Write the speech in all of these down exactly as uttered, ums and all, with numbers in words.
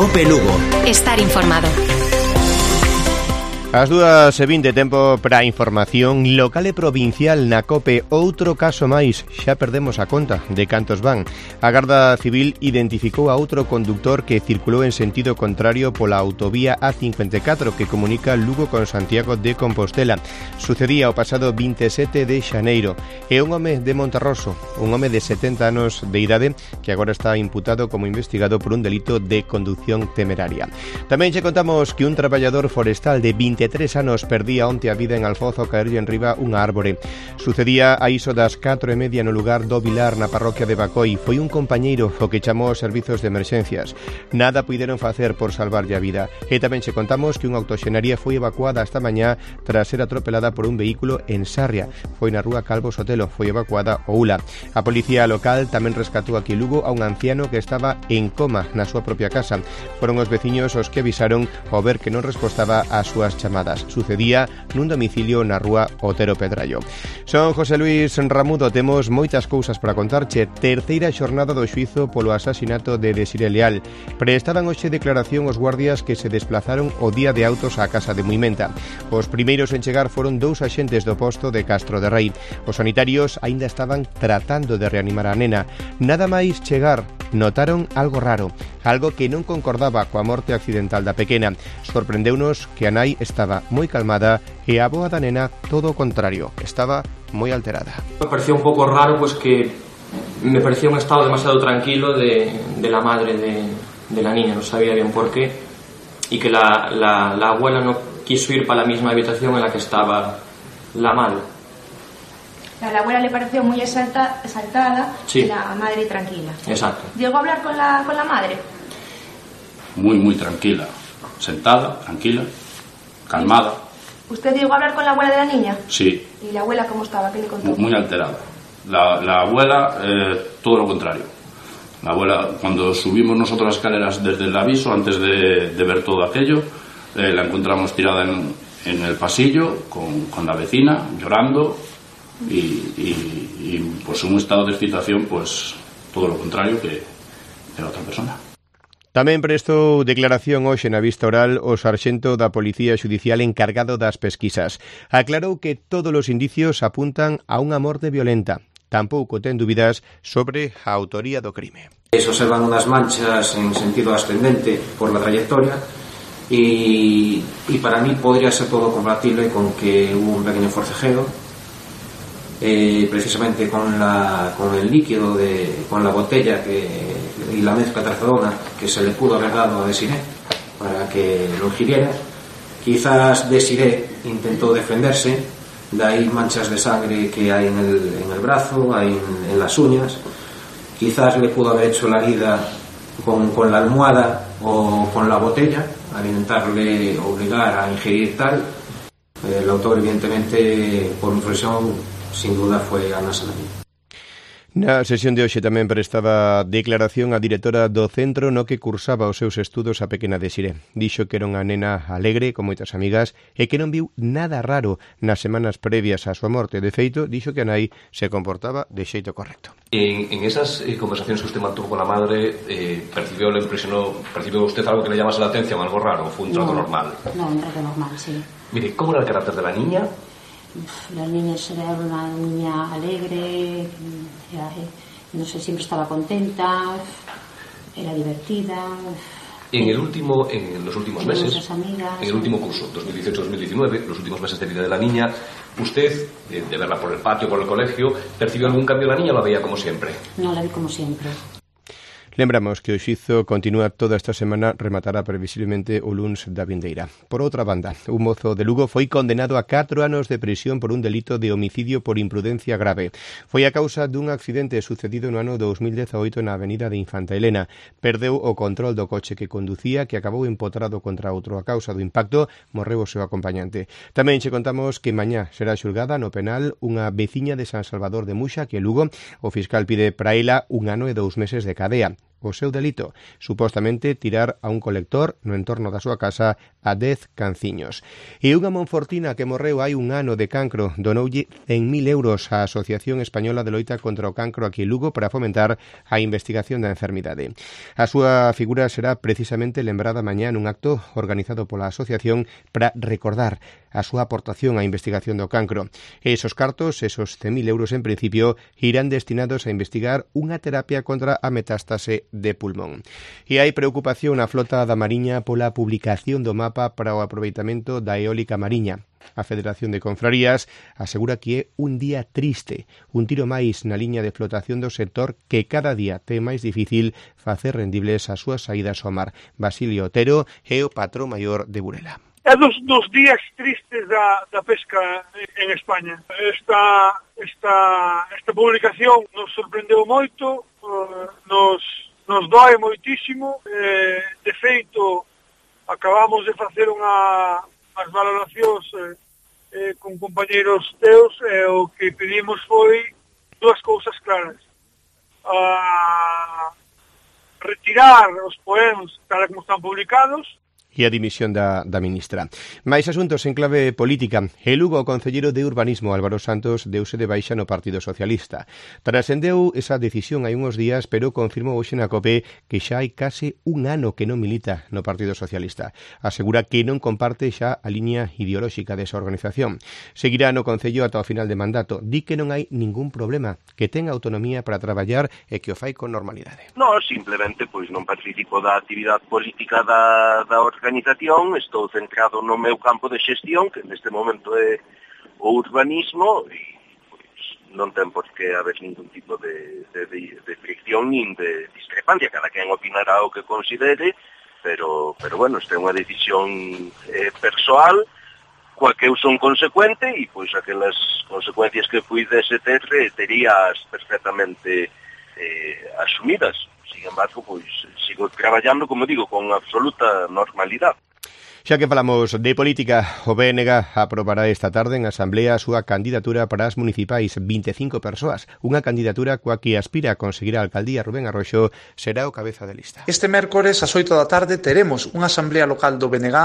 Cope Lugo. Estar informado. As dúas e vinte, tempo para a información local e provincial na Cope. Outro caso máis, xa perdemos a conta de cantos van. A Garda Civil identificou a outro conductor que circulou en sentido contrario pola autovía A cincuenta e catro que comunica Lugo con Santiago de Compostela. Sucedía o pasado vinte e sete de xaneiro. É un home de Monterroso, un home de setenta anos de idade que agora está imputado como investigado por un delito de conducción temeraria. Tamén che contamos que un traballador forestal de vinte e tres anos perdía onte a vida en Alfoz ao caerlle enriba unha árbore. Sucedía a iso das catro e media no lugar do Vilar, na parroquia de Bacoi. Foi un compañeiro o que chamou aos servizos de emerxencias. Nada puideron facer por salvarlle a vida. E tamén che contamos que unha autoxenaría foi evacuada esta mañá tras ser atropelada por un vehículo en Sarria. Foi na rúa Calvo Sotelo, foi evacuada o Ula. A policía local tamén rescatou aquí en Lugo a un anciano que estaba en coma na súa propia casa. Foron os veciños os que avisaron ao ver que non respostaba ás súas chamadas. Sucedía nun domicilio na rúa Otero Pedrallo. Son José Luis Ramudo, temos moitas cousas para contarche. Terceira xornada do xuízo polo asasinato de Desiré Leal. Prestaban hoxe declaración os guardias que se desplazaron o día de autos á casa de Muimenta. Os primeiros en chegar foron dous axentes do posto de Castro de Rei. Os sanitarios aínda estaban tratando de reanimar a nena. Nada máis chegar, notaron algo raro, algo que non concordaba coa morte accidental da pequena. Sorprendeunos que a nai estaba moi calmada e a avoa da nena todo o contrario, estaba moi alterada. Me parecía un pouco raro, pues que me parecía un estado demasiado tranquilo de, de la madre de, de la niña, no sabía bien por qué, y que la, la, la abuela no quiso ir para la misma habitación en la que estaba la madre. A la abuela le pareció muy exalta, exaltada, sí. Y la madre tranquila. Exacto. ¿Llegó a hablar con la, con la madre? Muy, muy tranquila. Sentada, tranquila, calmada. ¿Usted llegó a hablar con la abuela de la niña? Sí. ¿Y la abuela cómo estaba? ¿Qué le contó? Muy alterada. La, la abuela, eh, todo lo contrario. La abuela, cuando subimos nosotros las escaleras desde el aviso, antes de, de ver todo aquello, eh, la encontramos tirada en, en el pasillo con, con la vecina, llorando. Y, y, y pues un estado de excitación, pues todo lo contrario que de la otra persona. Tamén prestou declaración hoxe na vista oral o sarxento da Policía Xudicial encargado das pesquisas. Aclarou que todos os indicios apuntan a unha morte violenta. Tampouco ten dúbidas sobre a autoría do crime. Se observan unas manchas en sentido ascendente por la trayectoria y, y para mí podría ser todo compatible con que hubo un pequeño forcejeo. Eh, precisamente con, la, con el líquido, de, con la botella que, y la mezcla trazadona que se le pudo haber dado a Desiré para que lo ingiriera. Quizás Desiré intentó defenderse, de ahí manchas de sangre que hay en el, en el brazo, hay en, en las uñas. Quizás le pudo haber hecho la herida con, con la almohada o con la botella, al intentarle obligar a ingerir tal. El autor, evidentemente, por mi profesión, sin duda foi Ana Salami. Na sesión de hoxe tamén prestaba declaración a directora do centro no que cursaba os seus estudos a pequena Desiré. Dixo que era unha nena alegre, con moitas amigas, e que non viu nada raro nas semanas previas á súa morte. De feito, dixo que a nai se comportaba de xeito correcto. En, en esas eh, conversaciones que usted mantuvo con la madre, eh, ¿percibió, le impresionó, percibió usted algo que le llamase la atención, algo raro, o fue un trato no, normal? No, un trato normal, sí. Mire, ¿cómo era el carácter de la niña? La niña era una niña alegre, era, no sé, siempre estaba contenta, era divertida. En el último, en los últimos meses, amigas, en el último curso, dos mil dieciocho dos mil diecinueve, los últimos meses de vida de la niña, usted, de, de verla por el patio, por el colegio, ¿percibió algún cambio en la niña o la veía como siempre? No, la vi como siempre. Lembramos que o xuízo continúa toda esta semana, rematará previsiblemente o luns da vindeira. Por outra banda, un mozo de Lugo foi condenado a catro anos de prisión por un delito de homicidio por imprudencia grave. Foi a causa dun accidente sucedido no ano dos mil dezaoito na avenida de Infanta Elena. Perdeu o control do coche que conducía, que acabou empotrado contra outro. A causa do impacto morreu o seu acompañante. Tamén che contamos que mañá será xulgada no penal unha veciña de San Salvador de Muxa, que Lugo, o fiscal pide para ela un ano e dous meses de cadea. o seu delito, supostamente tirar a un colector no entorno da súa casa a dez canciños. E unha monfortina que morreu hai un ano de cancro donoulle cen mil euros á Asociación Española de Loita contra o Cancro aquí en Lugo para fomentar a investigación da enfermidade. A súa figura será precisamente lembrada mañá nun acto organizado pola asociación para recordar a súa aportación á investigación do cancro. E esos cartos, esos cen mil euros en principio, irán destinados a investigar unha terapia contra a metástase de pulmón. E hai preocupación na flota da Mariña pola publicación do mapa para o aproveitamento da eólica mariña. A Federación de Confrarías asegura que é un día triste, un tiro máis na liña de flotación do sector que cada día ten máis difícil facer rendibles as súas saídas ao mar. Basilio Otero é o patrón maior de Burela. É dos, dos días tristes da, da pesca en España. Esta, esta, esta publicación nos sorprendeu moito, uh, nos, nos doe moitísimo. Eh, de feito, acabamos de facer unha, as valoracións eh, eh, con compañeros teus e eh, o que pedimos foi dúas cousas claras. Uh, retirar os poemas tal como están publicados e a dimisión da, da ministra. Mais asuntos en clave política. E Lugo, o concelleiro de Urbanismo Álvaro Santos deuse de baixa no Partido Socialista. Trascendeu esa decisión hai uns días, pero confirmou hoxe na COPE que xa hai case un ano que non milita no Partido Socialista. Asegura que non comparte xa a liña ideolóxica desa organización. Seguirá no Concello ata o final de mandato. Di que non hai ningún problema, que ten autonomía para traballar e que o fai con normalidade. Non, simplemente pois non participo da actividade política da, da organización. Estou centrado no meu campo de xestión, que neste momento é o urbanismo, e pois, non ten por que haber ningún tipo de, de, de, de fricción nin de discrepancia. Cada quen opinará o que considere, pero, pero bueno, esta é unha decisión eh, persoal, coa que eu son consecuente, e pois aquelas consecuencias que puidese ter terías perfectamente eh, asumidas. Sin embargo, pois, sigo traballando, como digo, con absoluta normalidade. Xa que falamos de política, o B N G aprobará esta tarde en Asamblea a súa candidatura para as municipais, vinte e cinco persoas. Unha candidatura coa que aspira a conseguir a alcaldía. Rubén Arroxo será o cabeza de lista. Este mércores ás oito da tarde teremos unha Asamblea Local do B N G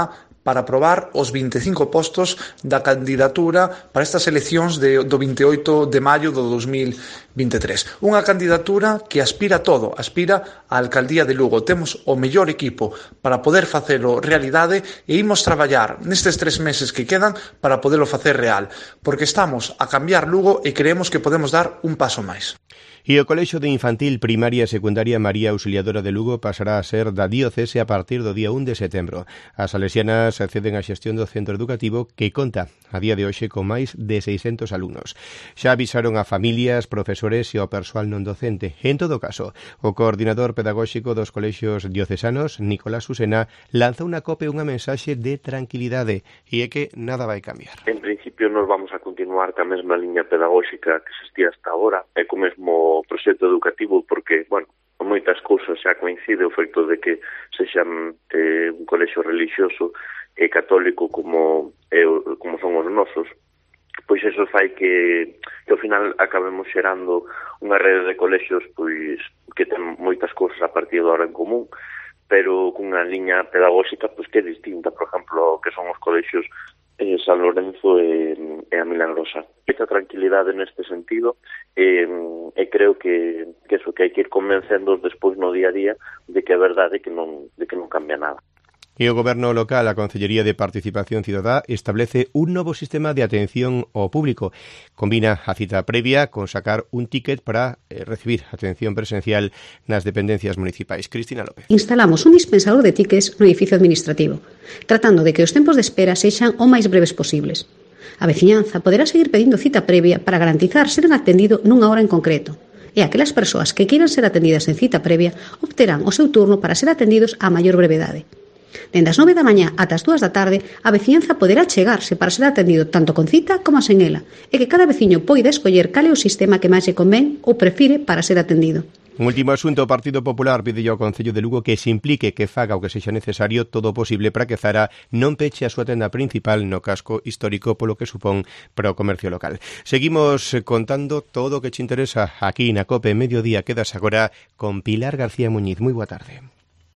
para aprobar os vinte e cinco postos da candidatura para estas eleccións de, do vinte e oito de maio do dos mil vinte e tres. Unha candidatura que aspira a todo, aspira á alcaldía de Lugo. Temos o mellor equipo para poder facelo realidade e imos traballar nestes tres meses que quedan para podelo facer real, porque estamos a cambiar Lugo e creemos que podemos dar un paso máis. E o Colexio de Infantil, Primaria e Secundaria María Auxiliadora de Lugo pasará a ser da diocese a partir do día un de setembro. As salesianas acceden á xestión do centro educativo que conta a día de hoxe con máis de seiscentos alumnos. Xa avisaron a familias, profesores e ao persoal non docente. En todo caso, o coordinador pedagóxico dos colexios diocesanos, Nicolás Susena, lanza unha cope unha mensaxe de tranquilidade e é que nada vai cambiar. En principio nos vamos a continuar ca mesma liña pedagóxica que existía hasta agora e co mesmo proxecto educativo, porque, bueno, moitas cousas xa coincide o feito de que sexan eh, un colexio religioso e católico como, eh, como son os nosos, pois eso fai que, que ao final acabemos xerando unha rede de colexios pois que ten moitas cousas a partir de ahora en común, pero cunha liña pedagóxica pois que é distinta, por exemplo, que son os colexios eh, San Lorenzo e, e a Milagrosa. Esta tranquilidade neste sentido e, e creo que, que eso que hai que ir convencendo despois no día a día de que é verdade que non, de que non cambia nada. E o Goberno local, a Concellería de Participación Cidadá, establece un novo sistema de atención ao público. Combina a cita previa con sacar un ticket para eh, recibir atención presencial nas dependencias municipais. Cristina López. Instalamos un dispensador de tickets no edificio administrativo, tratando de que os tempos de espera sexan o máis breves posibles. A veciñanza poderá seguir pedindo cita previa para garantizar ser atendido nunha hora en concreto. E aquelas persoas que queiran ser atendidas en cita previa obterán o seu turno para ser atendidos a maior brevedade. Dende as nove da mañá ata as dúas da tarde, a veciñanza poderá chegarse para ser atendido tanto con cita como sen ela, e que cada veciño poida escoller cal é o sistema que máis lle convén ou prefire para ser atendido. Un último asunto, o Partido Popular pide ao Concello de Lugo que se implique, que faga o que sexa necesario todo o posible para que Zara non peche a súa tenda principal no casco histórico polo que supón para o comercio local. Seguimos contando todo o que che interesa aquí na COPE Mediodía. Quedas agora con Pilar García Muñiz. Moi boa tarde.